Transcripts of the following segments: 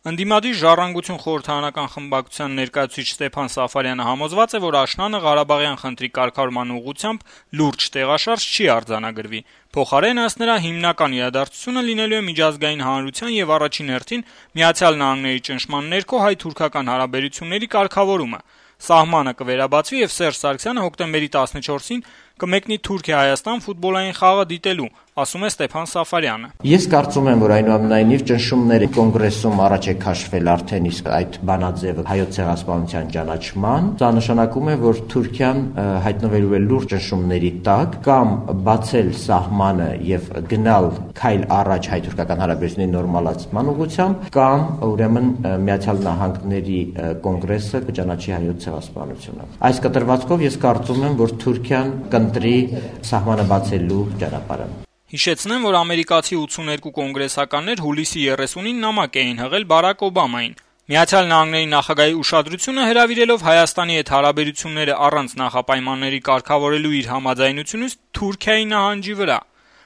Ընդդիմադիր «Ժառանգություն» խորհրդարանական խմբակցության ներկայացուցիչ Ստեփան Սաֆարյանը համոզված է, որ աշնանը Ղարաբաղյան խնդրի կարգավորման ուղղությամբ լուրջ տեղաշարժ չի արձանագրվի։ Փոխարենն, ըստ նրա, հիմնական իրադարձությունը լինելու է միջազգային հանրության եւ առաջին հերթին Միացյալ Նահանգների ճնշման ներքո հայ-թուրքական հարաբերությունների կարգավորումը։ Սահմանը կվերաբացվի եւ Սերժ Սարգսյանը հոկտեմբերի 14-ին կմեկնի Թուրքիա-Հայաստան ֆուտբոլային խաղը դիտելու, ասում է Ստեփան Սաֆարյանը։ Ես կարծում եմ, որ այնուամենայնիվ ճնշումները կոնգրեսում առաջ է քաշվել արդեն իսկ այդ բանաձևը հայոց ցեղասպանության ճանաչման, դա նշանակում է, որ Թուրքիան հայտնվելու է լուրջ ճնշումների տակ, կամ բացել սահմանը եւ գնալ քայլ առաջ հայ-թուրքական հարաբերությունների նորմալացման ուղղությամբ, կամ ուրեմն Միացյալ Նահանգների կոնգրեսը կճանաչի հայոց ցեղասպանությունը։ Այս կտրվածքով ես կարծում եմ, որ Թուրքիան կընտրի սահմանը բացելու ճանապարհը։ Հիշեցնեմ, որ ամերիկացի 82 կոնգրեսականներ հուլիսի 30-ին նամակ էին հղել Բարակ Օբամային։ Միացյալ Նահանգների նախագահի ուշադրությունը հրավիրելով Հայաստանի հետ հարաբերությունները առանց նախապայմանների կարգավորելու իր համաձայնությունից Թուրքիայի նահանջի վրա։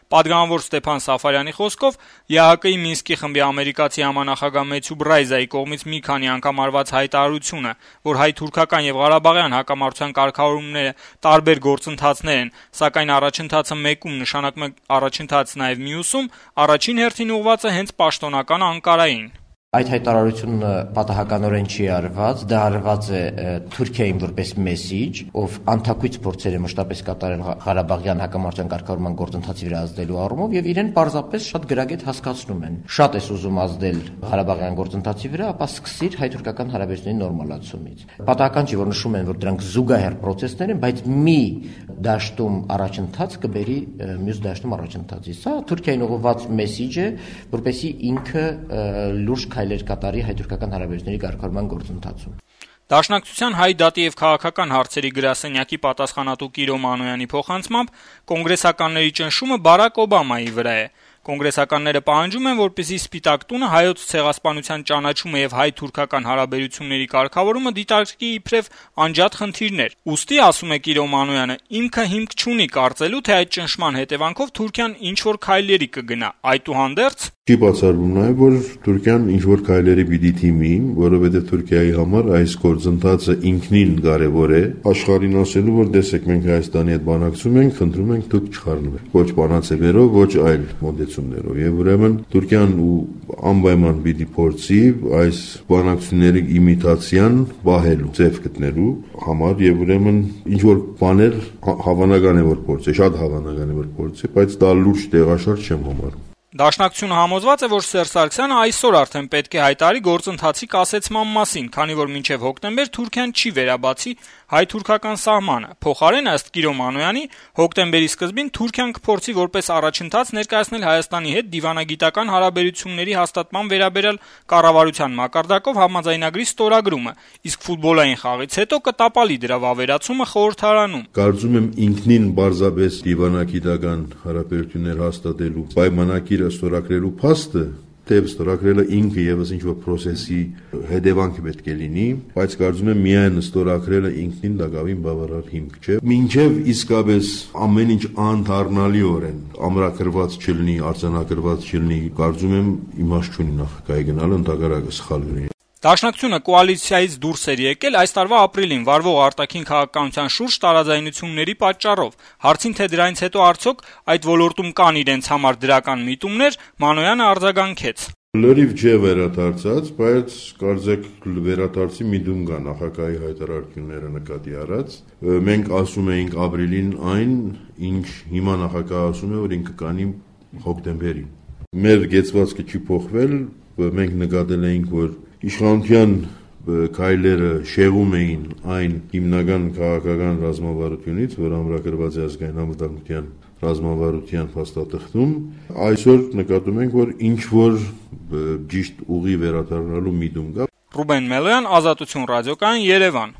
Պատգամավոր Ստեփան Սաֆարյանի խոսքով ԵԱՀԿ-ի Մինսկի խմբի ամերիկացի համանախագահ Մեթյու Բրայզայի կողմից մի քանի անգամ արված հայտարարությունը, որ հայ-թուրքական եւ ղարաբաղյան հակամարտության կարգավորումները տարբեր գործընթացներ են, սակայն առաջընթացը մեկում նշանակում է առաջընթաց նաեւ մյուսում, առաջին հերթին ուղղված է հենց պաշտոնական Անկարային։ Այդ հայտարարությունը պատահականորեն չի արված, դա արված է Թուրքիային որպես մեսիջ, ով անթակույց փորձեր է մշտապես կատարել Ղարաբաղյան հակամարտության կարգավորման գործընթացի վրա ազդելու առումով եւ իրեն պարզապես շատ գրագետ հասկացնում են։ Շատ ես ուզում ազդել Ղարաբաղյան գործընթացի վրա, ապա սկսիր հայ-թուրքական հարաբերությունների նորմալացումից։ Պատահական չի, որ նշում են, որ դրանք զուգահեռ պրոցեսներ են, բայց մի դաշտում առաջընթաց կբերի մյուս դաշտում առաջընթացի։ Սա Թուրքիային ուղղված մեսիջ է, որպեսզի ինքը լուրջ քայլեր կատարի հայ-թուրքական հարաբերությունների կարգավորման գործընթացում։ Դաշնակցության հայ դատի եւ քաղաքական հարցերի գրասենյակի պատասխանատու Կիրո Մանոյանի փոխանցմամբ կոնգրեսականների ճնշումը Բարակ Օբամայի վրա է։ Կոնգրեսականները պահանջում են, որպեսզի Սպիտակ տունը հայոց ցեղասպանության ճանաչումը եւ հայ-թուրքական հարաբերությունների կարգավորումը դիտարկի իբրև անջատ խնդիրներ։ Ուստի, ասում է Կիրո Մանոյանը, ինքը հիմք չունի կարծելու, թե այդ ճնշման հետևանքով Թուրքիան ինչ-որ քայլերի կգնա։ Այդուհանդերձ Չի բացառվում նաև, որ Թուրքիան ինչ-որ քայլերի պիտի թիմի, որովհետև Թուրքիայի համար այս գործընթացը ինքնին կարևոր է, աշխարհին ասելու, որ տեսեք, մենք Հայաստանի հետ բանակցում ենք, խնդրում ենք դուք չխառնվեք, ոչ բանաձևերով, ոչ այլ մոտեցումներով, եւ ուրեմն Թուրքիան անպայման պիտի փորձի այս բանակցությունների իմիտացիան պահելու, ձև գտնելու համար, եւ ուրեմն ինչ-որ բաներ հավանական է, որ փորձի, շատ հավանական է, որ փորձի, բայց դա լուրջ տեղաշարժ չեմ համարում։ Դաշնակցությունը համոզված է, որ Սերժ Սարգսյանը այսօր արդեն պետք է հայտարարի գործընթացի կասեցման մասին, քանի որ մինչև հոկտեմբեր Թուրքիան չի վերաբացի հայ-թուրքական սահմանը։ Փոխարենն, ըստ Կիրո Մանոյանի, հոկտեմբերի սկզբին Թուրքիան կփորձի որպես առաջընթաց ներկայացնել Հայաստանի հետ դիվանագիտական հարաբերությունների հաստատման վերաբերյալ կառավարության մակարդակով համաձայնագրի ստորագրումը, իսկ ֆուտբոլային խաղից հետո կտապալի դրա վավերացումը խորհրդարանում։ Կարծում եմ ինքնին բարձրապես դիվանագիտական հարաբերություններ հաստատելու պայմանագիրը ստորագրելու փաստը Թեև ստորագրելը ինքը եւս ինչ-որ process-ի հետևանք պետք է լինի, բայց կարծում եմ միայն ստորագրելը ինքնին դակավին բավարար հիմք չէ։ Մինչև իսկապես ամեն ինչ անդառնալիորեն ամրագրված չլինի, արձանագրված չլինի, կարծում եմ իմաստ չունի նախագահի գնալը, ընդհակառակը սխալ կլինի։ Դաշնակցությունը կոալիցիայից դուրս էր եկել այս տարվա ապրիլին վարվող արտաքին քաղաքականության շուրջ տարաձայնությունների պատճառով։ Հարցին, թե դրանից հետո արդյոք այդ ոլորտում կան իրենց համար դրական միտումներ, Մանոյանը արձագանքեց. Լրիվ չէ վերադարձած, բայց կարծեք վերադարձի միտում կա նախագահի հայտարարությունները նկատի առած։ Մենք ասում էինք ապրիլին այն, ինչ հիմա նախագահը ասում է, որ ինքը կանի հոկտեմբերին։ Մեր գեցվածքը չի փոխվել, մենք նկատել էինք, որ իշխանության քայլերը շեղում էին այն հիմնական քաղաքական ռազմավարությունից, որ ամրագրված է ազգային անվտանգության ռազմավարության փաստաթղթում, այսօր նկատում ենք, որ ինչ որ ճիշտ ուղի վերադառնալու միտում կա։ Ռուբեն Մելոյան, Ազատություն ռադիոկայան, Երևան։